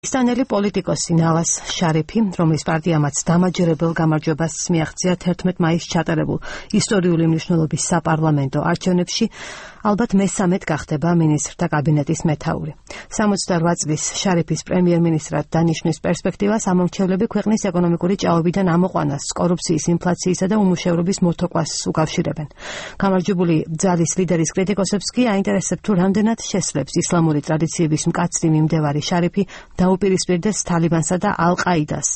პაკისტანელი პოლიტიკოსი ნავაზ შარიფი, რომლის პარტიამაც დამაჯერებელ გამარჯვებას მიაღწია 11 მაისს ჩატარებულ ისტორიული მნიშვნელობის საპარლამენტო არჩევნებში, ალბათ მესამედ გახდება მინისტრთა კაბინეტის მეთაური. 68 წლის შარიფის პრემიერ-მინისტრად დანიშნვის პერსპექტივას ამომრჩევლები ქვეყნის ეკონომიკური ჭაობიდან ამოყვანას, კორუფციის, ინფლაციისა და უმუშევრობის მოთოკვას უკავშირებენ. გამარჯვებული ძალის ლიდერის კრიტიკოსებს კი აინტერესებს თუ რამდენად შესძლებს ისლამური ტრადიციების მკაცრი მიმდევარი შარიფი დაუპირისპირდეს თალიბანსა და ალ-ყაიდას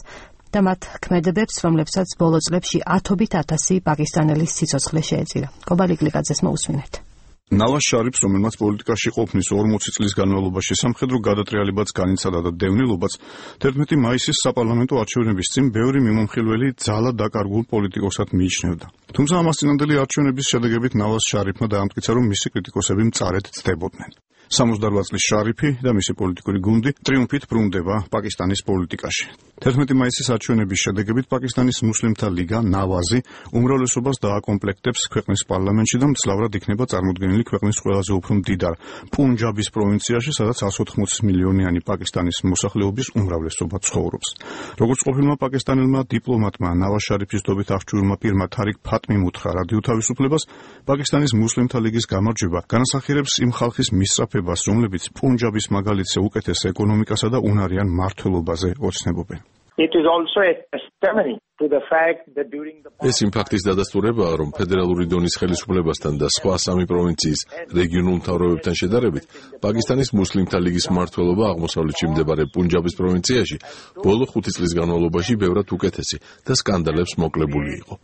და მათ ქმედებებს, რომლებსაც ბოლო წლებში ათობით ათასი პაკისტანელის სიცოცხლე შეეწირა. კობალი გლიკაძეს მოусმინეთ. ნავაზ შარიფს, რომელმაც პოლიტიკაში ყოფნის 40 წლის განმავლობაში სამხედრო გადატრიალებაც განიცადა და დევნილობაც, 11 მაისის საპარლამენტო არჩევნების წინ ბევრი მიმომხილველი ძალა დაკარგულ პოლიტიკოსად მიიჩნევდა. თუმცა ამას წინანდელი არჩევნების შედეგებით ნავაზ შარიფმა დაამტკიცა, რომ მისი კრიტიკოსები მწარედ ცდებოდნენ. 68 წლის შარიფი და მისი პოლიტიკური გუნდი ტრიუმფით ბრუნდება პაკისტანის პოლიტიკაში. 11 მაისის არჩევნების შედეგებით პაკისტანის მუსლიმთა ლიგა ნავაზი უმრავლესობას დააკომპლექტებს ქვეყნის პარლამენტში და მძლავრად იქნება წარმოდგენილი ქვეყნის ყველაზე უფრო მდიდარ პუნჯაბის პროვინციაში, სადაც 180 მილიონიანი პაკისტანის მოსახლეობის უმრავლესობა ცხოვრობს. როგორც ყოფილმა პაკისტანელმა დიპლომატმა ნავაზ შარიფის დობით აღჭურვილმა პირმა თარიკ ფატმიმ უთხრა რადიო თავისუფლებას, პაკისტანის მუსლიმთა ლიგის გამარჯვება განასახიერებს იმ ხალხის მისწრაფებას, რომლებიც პუნჯაბის მაგალითზე უკეთეს ეკონომიკასა და უნარიან მართლობაზე ოცნებობენ. ეს იმ ფაქტის დადასტურებაა, რომ ფედერალური დონის ხელისუფლებასთან და სხვა სამი პროვინციის რეგიონულ მთავრობებთან შედარებით, პაკისტანის მუსლიმთა ლიგის მმართველობა აღმოსავლეთში მდებარე პუნჯაბის პროვინციაში ბოლო 5 წლის განმავლობაში ბევრად უკეთესი და სკანდალებს მოკლებული იყო.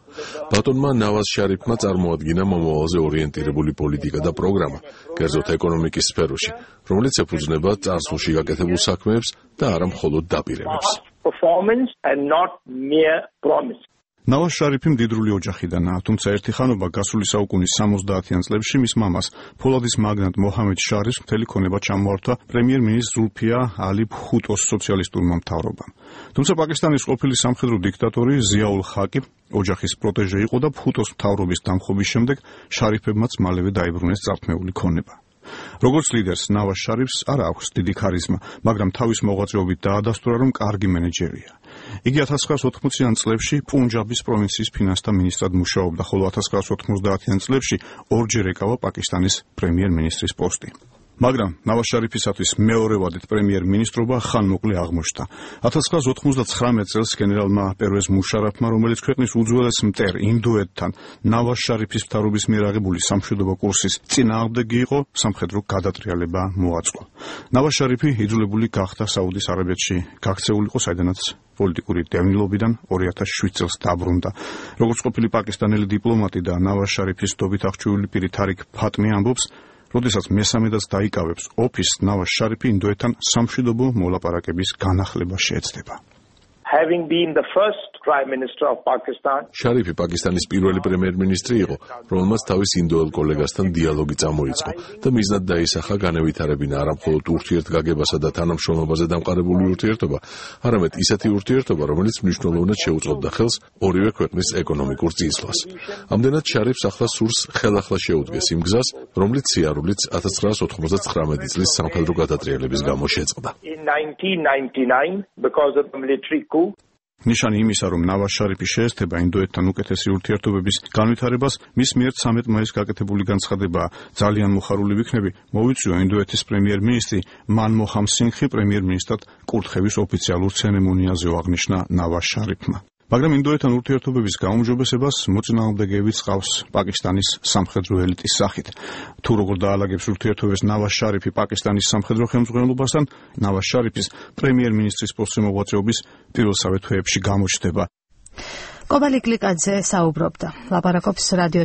ბატონმა ნავაზ შარიფმა წარმოადგინა მომავალზე ორიენტირებული პოლიტიკა და პროგრამა, კერძოდ ეკონომიკის სფეროში, რომელიც ეფუძნება წარსულში გაკეთებულ საქმეებს და არა მხოლოდ დაპირებებს. ნავაზ შარიფი მდიდრული ოჯახიდანაა, თუმცა ერთი ხანობა გასული საუკუნის 70-იან წლებში მის მამას, ფოლადის მაგნატ მოჰამედ შარიფს მთელი ქონება ჩამოართვა პრემიერ-მინისტრ ზულფია ალი ბჰუტოს სოციალისტურმა მთავრობამ. თუმცა პაკისტანის ყოფილი სამხედრო დიქტატორი ზიაულ ხაკი ოჯახის პროტეჟე იყო და ბჰუტოს მთავრობის დამხობის შემდეგ შარიფებმაც მალევე დაიბრუნეს წარქმეული ქონება. როგორც ლიდერს ნავაზ შარიფს არ აქვს დიდი ქარიზმა, მაგრამ თავის მოღვაწეობით დაადასტურა, რომ კარგი მენეჯერია. იგი 1980-იან წლებში პუნჯაბის პროვინციის ფინანსთა მინისტრად მუშაობდა, ხოლო 1990-იან წლებში ორჯერ ეკავა პაკისტანის პრემიერ-მინისტრის პოსტი. მაგრამ ნავაზ შარიფისათვის მეორევადით პრემიერ-მინისტრობა ხანმოკლე აღმოჩნდა. 1999 წელს გენერალმა პერვეზ მუშარაფმა, რომელიც ქვეყნის უძველეს მტერ ინდოეთთან ნავაზ შარიფის მთავრობის მიერ აღებული სამშვიდობო კურსის წინააღმდეგი იყო, სამხედრო გადატრიალება მოაწყო. ნავაზ შარიფი იძულებული გახდა საუდის არაბეთში გაქცეულიყო, საიდანაც პოლიტიკური დევნილობიდან 2007 წელს დაბრუნდა. როგორც ყოფილი პაკისტანელი დიპლომატი და ნავაზ შარიფის დობით აღჭურვილი პირი თარიკ ფატმი ამბობს, როდესაც მესამედაც დაიკავებს ოფისს, ნავაზ შარიფი ინდოეთთან სამშვიდობო მოლაპარაკების განახლება შეეცდება. შარიფი პაკისტანის პირველი პრემიერ-მინისტრი იყო, რომელმაც თავის ინდოელ კოლეგასთან დიალოგი წამოიწყო და მიზნად დაისახა განევითარებინა არა მხოლოდ ურთიერთგაგებასა და თანამშრომლობაზე დამყარებული ურთიერთობა, არამედ ისეთი ურთიერთობა, რომელიც მნიშვნელოვნად შეუწყობდა ხელს ორივე ქვეყნის ეკონომიკურ წინსვლას. ამდენად შარიფს ახლა სურს ხელახლა შეუდგეს იმ გზას, რომლით სიარულიც 1999 წლის სამხედრო გადატრიალების გამო შეწყდა. ნიშანი იმისა, რომ ნავაზ შარიფი შეესწრება ინდოეთთან უკეთესი ურთიერთობების განვითარებას, მის მიერ 13 მაისს გაკეთებული განცხადება ძალიან მოხარული ვიქნები მოვიწვია ინდოეთის პრემიერ-მინისტრი მანმოჰან სინგჰი პრემიერ-მინისტრად კურთხევის ოფიციალურ ცერემონიაზე აღნიშნა ნავაზ შარიფმა. მაგრამ ინდოეთთან ურთიერთობების გაუმჯობესებას მოწინააღმდეგეებიც ყავს პაკისტანის სამხედრო ელიტის სახით. თუ როგორ დაალაგებს ურთიერთობებს ნავაზ შარიფი პაკისტანის სამხედრო ხელმძღვანელობასთან, ნავაზ შარიფის პრემიერ-მინისტრის პოსტზე მოღვაწეობის პირველსავე თვეებში გამოჩნდება. კობალი გლიკაძე საუბრობდა. ლაპარაკობს რადიო